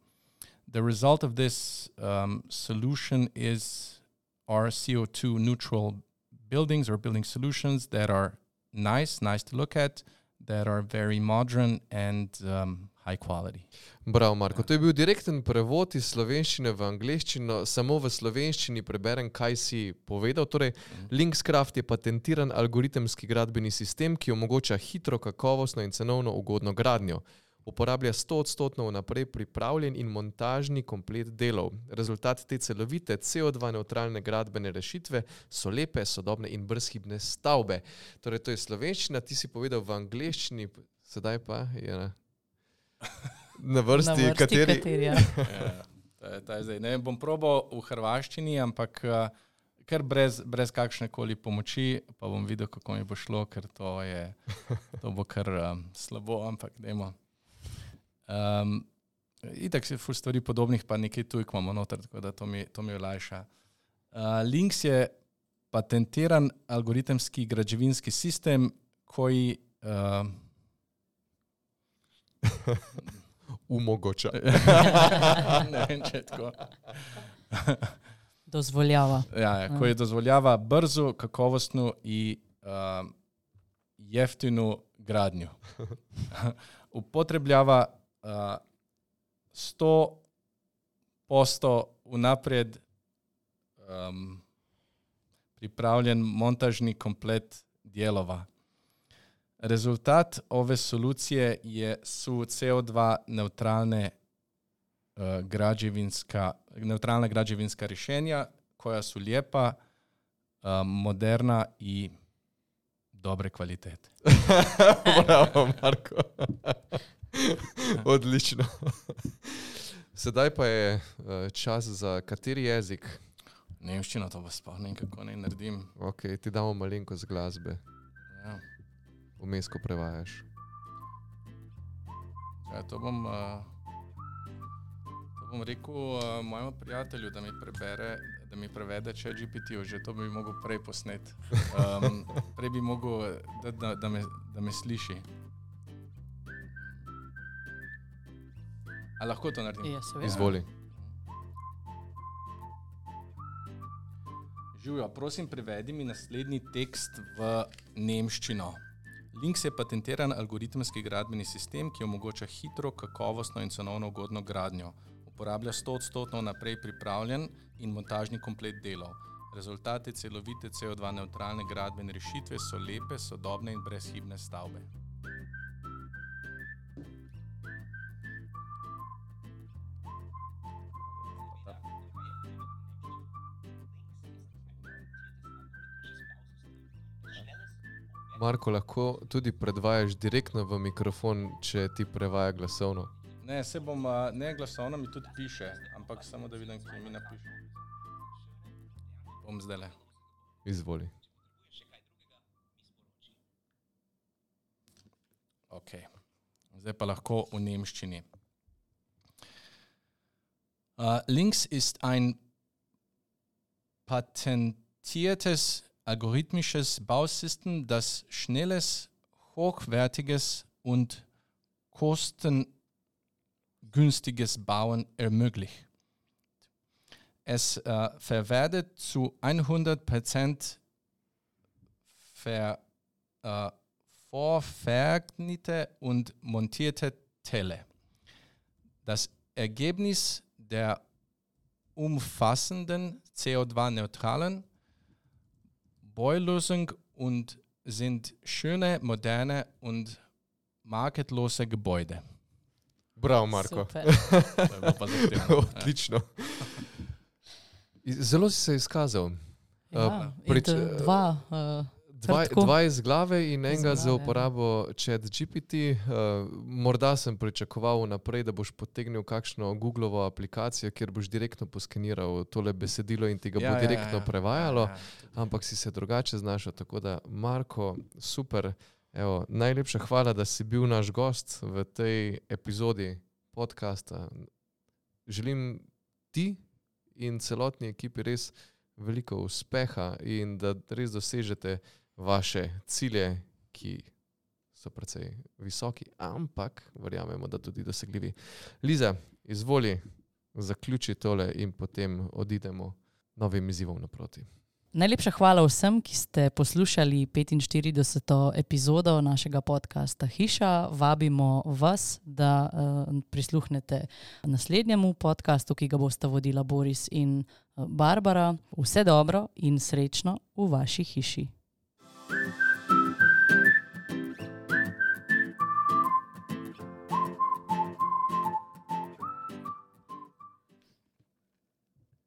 The result of this um, solution is our C O two neutral buildings or building solutions that are nice, nice to look at, that are very modern and um, high quality. Bravo, Marko. To je bil direkten prevod iz slovenščine v angleščino. Samo v slovenščini preberem, kaj si povedal. Torej, Linkscraft je patentiran algoritemski gradbeni sistem, ki omogoča hitro, kakovostno in cenovno ugodno gradnjo. Uporablja sto odstotno vnaprej pripravljen in montažni komplet delov. Rezultat te celovite C O dva nevtralne gradbene rešitve so lepe, sodobne in brezhibne stavbe. Torej, to je slovenščina, ti si povedal v angleščini, sedaj pa je na, na vrsti, Na vrsti kateri... kateri, ja. Ja, to je, to je zdaj. Ne, bom probal v hrvaščini, ampak uh, kar brez, brez kakšne koli pomoči, pa bom videl, kako mi bo šlo, ker to, je, to bo kar um, slabo, ampak dajmo. Um, itak se ful stvari podobnih, pa nekaj tujk imamo noter, tako da to mi, to mi olajša. Uh, Links je patentiran algoritemski građevinski sistem koji uh, Umogoča. ne vem, če je tako. Dozvoljava. Ja, ja, koji dozvoljava brzu, kakovostnu i uh, jeftinu gradnju. Upotrebljava uh, sto posto unaprijed um, pripravljen montažni komplet dijelova. Rezultat ove solucije je, su C O dva neutralne uh, građevinska, neutralna građevinska rješenja koja su lijepa, uh, moderna i dobre kvalitete. Bravo, Marko. Odlično. Sedaj pa je uh, čas za kateri jezik? Nemščino to pa sploh ne vem, kako naj naredim. Ok, ti damo malenkost glasbe. Ja. Vmes, ko prevajaš. Ja, to bom, uh, to bom rekel uh, mojemu prijatelju, da mi prebere, da mi prevede ChatGPT, že to bi mogel prej posnet. Um, prej bi mogel, da, da, da, me, da me sliši. A lahko to naredim? Ja, seveda. Izvoli. Živjo, prosim, prevedi mi naslednji tekst v nemščino. Links je patentiran algoritemski gradbeni sistem, ki omogoča hitro, kakovostno in cenovno ugodno gradnjo. Uporablja sto odstotno naprej pripravljen in montažni komplet delov. Rezultati celovite C O dva neutralne gradbene rešitve so lepe, sodobne in brezhibne stavbe. Marko, lahko tudi predvajaš direktno v mikrofon, če ti prevaja glasovno. Ne, se bom, uh, ne glasovno mi tudi piše, ampak samo da vidim, kaj mi napiše. Bom zdajle. Izvoli. Ok. Zdaj pa lahko v nemščini. Uh, Links ist ein patentiertes algorithmisches Bausystem, das schnelles, hochwertiges und kostengünstiges Bauen ermöglicht. Es äh, verwertet zu hundert Prozent ver, äh, vorvergnete und montierte Teile. Das Ergebnis der umfassenden C O zwei neutralen Baulösung und sind schöne, moderne und marketlose Gebäude. Bravo, Marko. Odlično. Zelo si se izkazal. Ja, Uh, prič, in dva, uh, dva, dva iz glave in enega Iz za glave, uporabo ChatGPT. Uh, morda sem pričakoval naprej, da boš potegnil kakšno Googlovo aplikacijo, kjer boš direktno poskeniral tole besedilo in ti ga Ja, bo ja, direktno ja, ja. prevajalo, Ja, ja. ampak si se drugače znašel. Tako da, Marko, super. Evo, najlepša hvala, da si bil naš gost v tej epizodi podcasta. Želim ti in celotni ekipi res veliko uspeha in da res dosežete vaše cilje, ki so precej visoki, ampak verjamemo, da tudi dosegljivi. Liza, izvoli, zaključi tole in potem odidemo novim izzivom naproti. Najlepša hvala vsem, ki ste poslušali petinštirideseto epizodo našega podcasta Hiša. Vabimo vas, da uh, prisluhnete naslednjemu podcastu, ki ga bosta vodila Boris in uh, Barbara. Vse dobro in srečno v vaši hiši.